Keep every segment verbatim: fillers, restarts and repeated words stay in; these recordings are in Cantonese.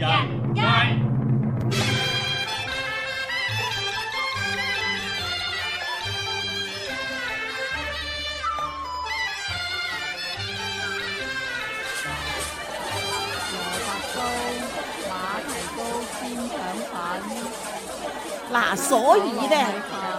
人間。嗱，所以咧，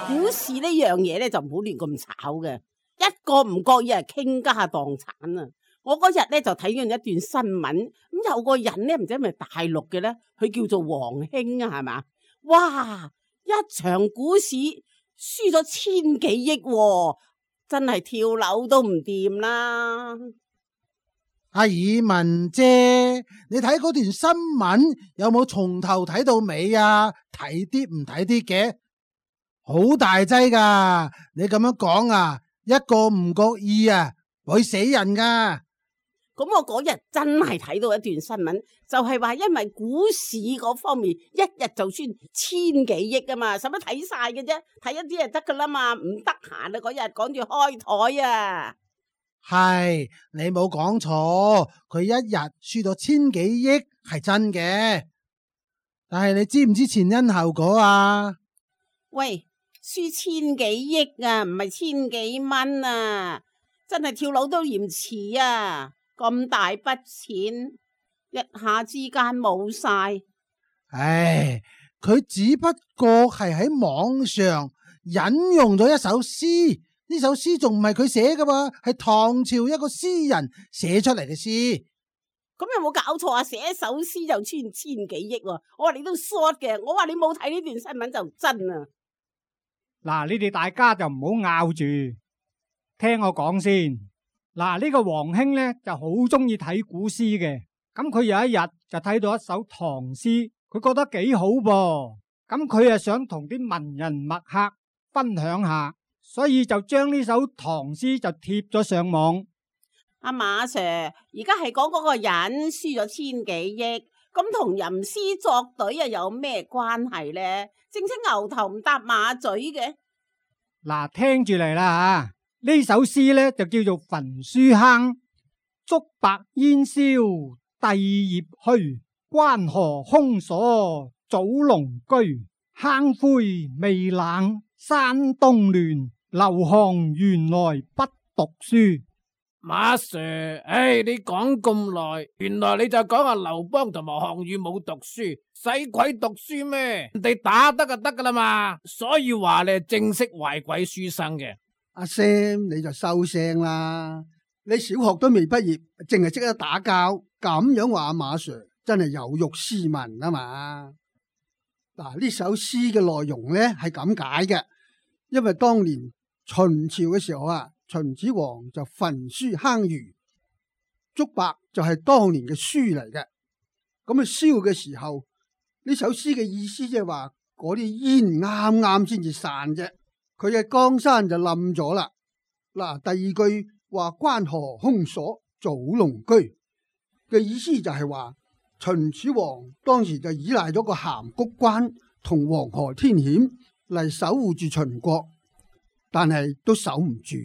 股市呢樣嘢咧就唔好亂咁炒嘅，一個唔覺意係傾家蕩產啊！我嗰日咧就睇緊一段新聞，咁有個人咧唔知係咪大陸嘅咧，佢叫做黃興啊，係嘛？哇！一場股市輸咗千幾億喎，真係跳樓都唔掂啦！阿爾文姐，你睇嗰段新聞有冇從頭睇到尾啊？睇啲唔睇啲嘅，好大劑噶！你咁樣講啊，一個唔覺意啊，會死人噶。咁我嗰日真係睇到一段新聞，就係話因為股市嗰方面一日就算千幾億啊嘛，使乜睇晒嘅啫？睇一啲就得噶啦嘛，唔得閒啊嗰日趕住開台啊！係，你冇講錯，佢一日輸咗千幾億係真嘅，但係你知唔知前因後果啊？喂，輸千幾億啊，唔係千幾蚊啊，真係跳樓都嫌遲啊！咁大筆錢一下之間冇晒，唉，佢只不過係喺網上引用咗一首詩。呢首詩仲唔係佢寫噶嘛，係唐朝一個詩人寫出嚟嘅詩。咁有冇搞錯啊？寫一首詩就千千幾億喎！我話你都 short 嘅，我話你冇睇呢段新聞就真啊！嗱，你哋大家就唔好拗住，聽我講先。嗱，呢個黃興咧就好中意睇古詩嘅，咁佢有一日就睇到一首唐詩，佢覺得幾好噃，咁佢啊想同啲文人墨客分享下。所以就將呢首唐詩就貼咗上網。阿馬 Sir， 而家係講嗰個人輸咗千幾億，咁同吟詩作對又有咩關係呢？正稱牛頭唔搭馬嘴嘅。嗱，聽住嚟啦吓，呢首詩呢就叫做《焚書坑》。竹帛煙消帝業虛，關河空鎖祖龍居。坑灰未冷山冬暖，劉項原來不讀書。馬 Sir， 唉，你講咁耐，原來你就講阿劉邦同埋項羽冇讀書，使鬼讀書咩？人哋打得就得噶啦嘛，所以話你係正式壞鬼書生嘅。阿 Sam 你就收聲啦，你小學都未畢業，淨係識得打交，咁樣話阿馬 Sir 真係有辱斯文啊嘛！嗱，呢首詩嘅內容咧係咁解嘅，因為當年秦朝嘅時候啊，秦始皇就焚書坑儒，竹帛就係當年嘅書嚟嘅。咁啊燒嘅時候，呢首詩嘅意思即係話嗰啲煙啱啱先至散啫，佢嘅江山就冧咗啦。嗱，第二句話關河空鎖祖龍居嘅意思就係話。秦始皇當時就依賴咗個函谷關同黃河天險嚟守護住秦國，但係都守唔住。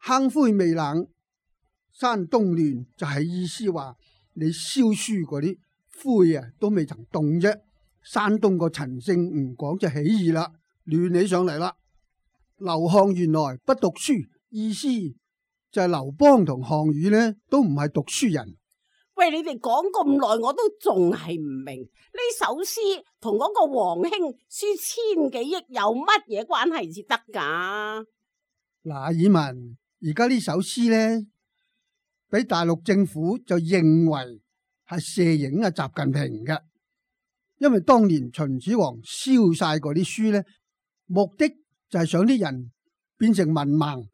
坑灰未冷，山冬暖，就係意思話你燒書嗰啲灰啊都未曾凍啫，山東個陳勝吳廣就起義啦，亂起上嚟啦。劉項原來不讀書，意思就係劉邦同項羽呢都唔係讀書人。喂，你哋講咁耐，我都仲係唔明呢首詩同嗰個黃興輸千幾億有乜嘢關係至得噶？嗱，爾文，而家呢首詩呢，俾大陸政府就認為係射影啊習近平嘅，因為當年秦始皇燒晒嗰啲書呢，目的就係想啲人變成文盲、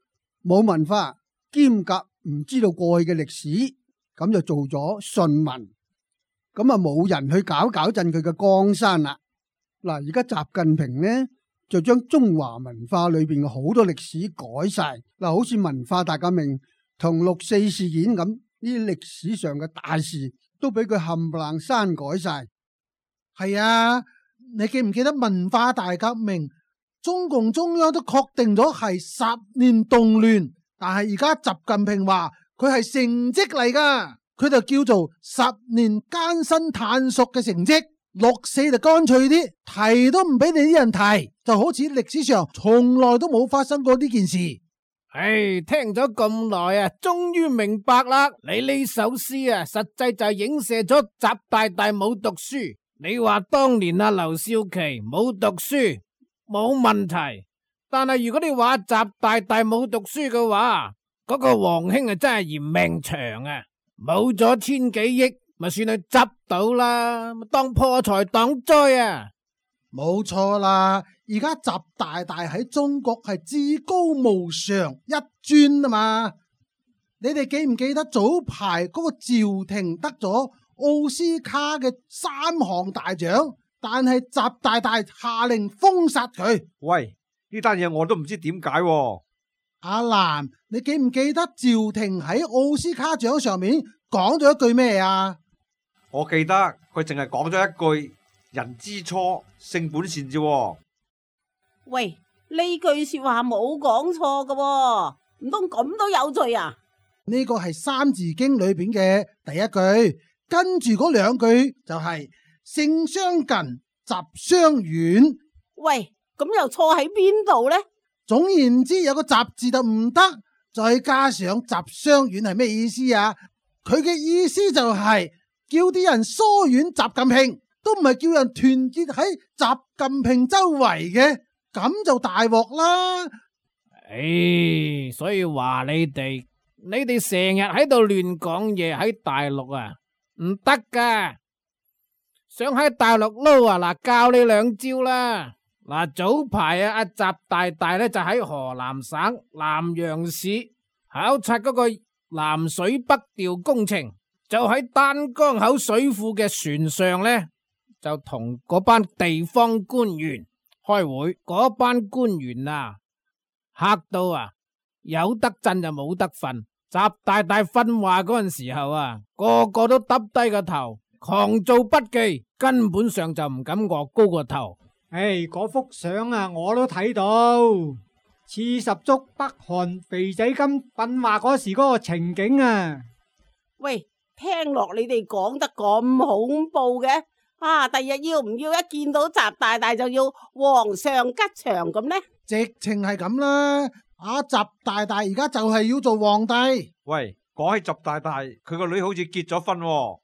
冇文化、兼夾唔知道過去嘅歷史。咁就做咗順民，咁啊冇人去搞搞震佢嘅江山啦。嗱，而家習近平呢就將中華文化裏邊嘅好多歷史改晒，嗱，好似文化大革命同六四事件咁，呢啲歷史上嘅大事都俾佢冚唪唥刪改晒。係啊，你記唔記得文化大革命？中共中央都確定咗係十年動亂，但係而家習近平話。佢係成績嚟噶，佢就叫做十年艱辛探索嘅成績。六四就乾脆啲，提都唔俾你啲人提，就好似歷史上從來都冇發生過呢件事。唉，聽咗咁耐啊，終於明白啦！你呢首詩啊，實際就係影射咗習大大冇讀書。你話當年啊，劉少奇冇讀書冇問題，但係如果你話習大大冇讀書嘅話，嗰個黃興啊真係嫌命長啊，冇咗千幾億。咪算佢執到啦，當破財擋災啊！冇錯啦，而家習大大喺中國係至高無上一尊啊嘛！你哋記唔記得早排嗰個趙婷得咗奧斯卡嘅三項大獎，但係習大大下令封殺佢。喂，呢單嘢我都唔知點解喎。阿蘭，你記唔記得趙婷喺奧斯卡獎上面講咗一句咩啊？我記得佢淨係講咗一句人之初性本善啫。喂，呢句說話冇講錯㗎，唔通咁都有罪啊？呢個係《三字經》裏邊嘅第一句，跟住嗰兩句就係性相近，習相遠。喂，咁又錯喺邊度呢？總言之，有個習字就唔得，再加上習相遠係咩意思啊？佢嘅意思就係、是。叫啲人疏遠習近平，都唔係叫人團結喺習近平周圍嘅，咁就大鑊啦。唉，所以話你哋，你哋成日喺度亂講嘢，喺大陸啊，唔得噶。想喺大陸撈啊，嗱，教你兩招啦。嗱，早排啊，阿習大大咧就喺河南省南陽市考察嗰個南水北調工程。就喺丹江口水庫嘅船上呢，就同嗰班地方官員開會。嗰班官員啊，嚇到啊，有得震就冇得瞓。習大大訓話嗰陣時候啊，個個都耷低個頭，狂做筆記，根本上就唔敢臥高個頭。唉，嗰幅相啊，我都睇到，似十足北韓肥仔金訓話嗰時嗰個情景啊。喂。聽落你哋講得咁恐怖嘅，啊！第日要唔要一見到習大大就要皇上吉祥咁呢？直情係咁啦，阿習大大而家就係要做皇帝。喂，講起習大大，佢個女好似結咗婚喎。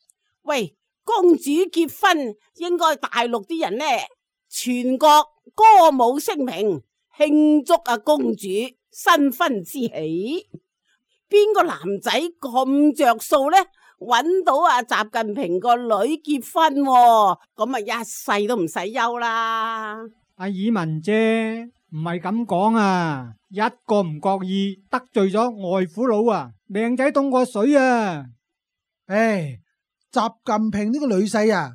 喂，公主結婚應該大陸啲人呢，全國歌舞升平，慶祝啊公主新婚之喜。邊個男仔咁着數呢？搵到阿習近平個女結婚，咁啊一世都唔使憂啦。阿爾文姐唔係咁講啊，一個唔覺意得罪咗外父佬啊，命仔凍過水啊！唉，習近平呢個女婿啊，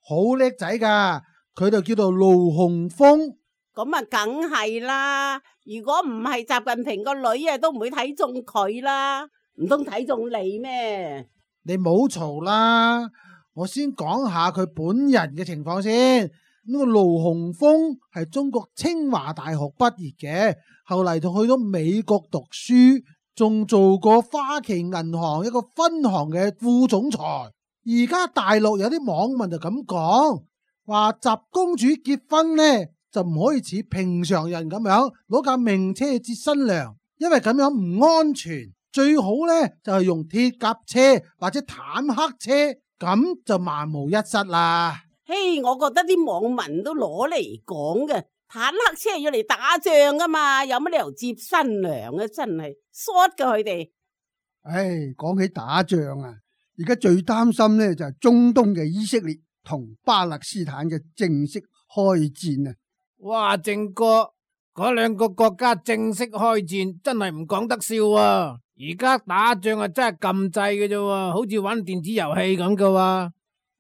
好叻仔噶，佢就叫做盧洪峰。咁啊，梗係啦。如果唔係習近平個女啊，都唔會睇中佢啦。唔通睇中你咩？你冇嘈啦，我先講下佢本人嘅情況先。呢個盧洪峰係中國清華大學畢業嘅，後嚟就去咗美國讀書，仲做過花旗銀行一個分行嘅副總裁。而家大陸有啲網民就咁講，話習公主結婚呢就唔可以似平常人咁樣攞架名車接新娘，因為咁樣唔安全。最好呢就係用鐵甲車或者坦克車，咁就萬無一失啦。嘿，我覺得啲網民都攞嚟講嘅，坦克車要嚟打仗噶嘛，有乜理由接新娘啊？真係 short 噶佢哋。唉，講起打仗啊，而家最擔心呢就係中東嘅以色列同巴勒斯坦嘅正式開戰啊！哇，正哥，嗰兩個國家正式開戰，真係唔講得笑啊！而家打仗啊，真係撳掣嘅啫，好似玩電子遊戲咁噶喎。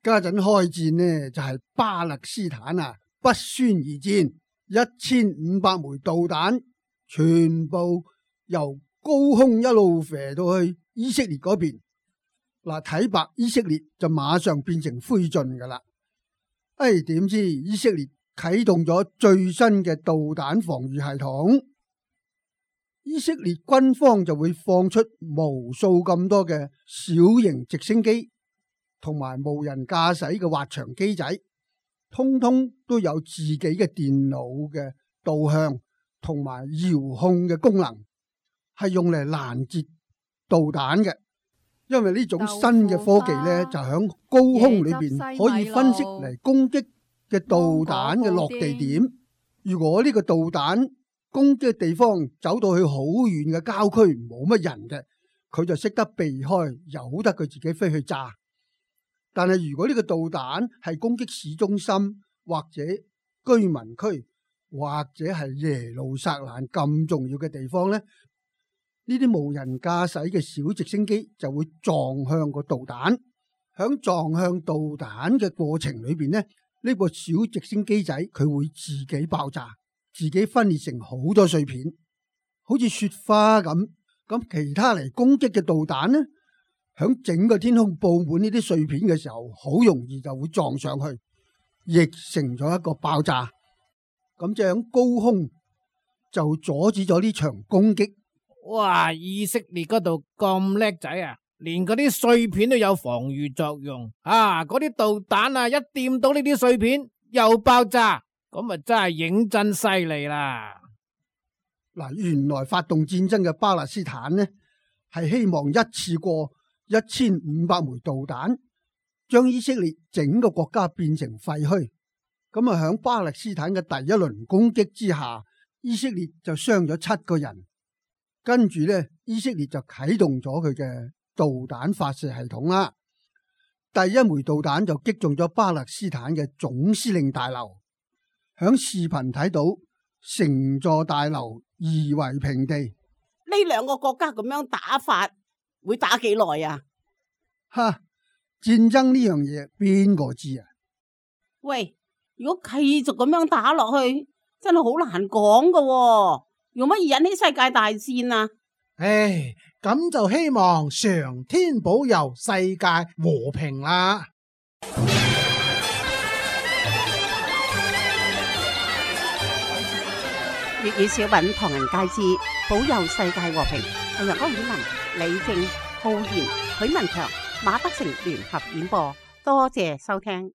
家陣開戰呢，就係巴勒斯坦啊，不宣而戰，一千五百枚導彈，全部由高空一路射到去以色列嗰邊。嗱，睇白以色列就馬上變成灰燼噶啦。哎，點知以色列啟動咗最新嘅導彈防禦系統？以色列軍方就會放出無數咁多嘅小型直升機，同埋無人駕駛嘅滑翔機仔，通通都有自己嘅電腦嘅導向同埋遙控嘅功能，係用嚟攔截導彈嘅。因為呢種新嘅科技呢，就響高空裏邊可以分析嚟攻擊嘅導彈嘅落地點。如果呢個導彈攻擊嘅地方走到去好遠嘅郊區，冇乜人嘅，佢就識得避開，由得佢自己飛去炸。但係如果呢個導彈係攻擊市中心或者居民區或者係耶路撒冷咁重要嘅地方呢，呢啲無人駕駛嘅小直升機就會撞向個導彈。響撞向導彈嘅過程裏邊呢，呢個小直升機仔佢會自己爆炸，自己分裂成好多碎片，好似雪花咁。咁其他嚟攻擊嘅導彈呢，響整個天空布滿呢啲碎片嘅時候，好容易就會撞上去，亦成咗一個爆炸。咁就響高空就阻止咗呢場攻擊。哇！以色列嗰度咁叻仔啊，連嗰啲碎片都有防禦作用啊！嗰啲導彈啊，一掂到呢啲碎片又爆炸，咁啊真係認真犀利啦！嗱，原來發動戰爭嘅巴勒斯坦呢，係希望一次過一千五百枚導彈，將以色列整個國家變成廢墟。咁啊，響巴勒斯坦嘅第一輪攻擊之下，以色列就傷咗七個人。跟住呢，以色列就啟動咗佢嘅導彈發射系統啦。第一枚導彈就擊中咗巴勒斯坦嘅總司令大樓，響視頻睇到成座大樓夷為平地。呢兩個國家咁樣打法會打幾耐啊？哈！戰爭呢樣嘢邊個知啊？喂，如果繼續咁樣打落去，真係好難講噶喎。用乜嘢引起世界大戰啊？唉，咁就希望上天保佑世界和平啦！粵語小品《唐人街之保佑世界和平》，係由安婉文、李正、浩然、許文強、馬德成聯合演播，多謝收聽。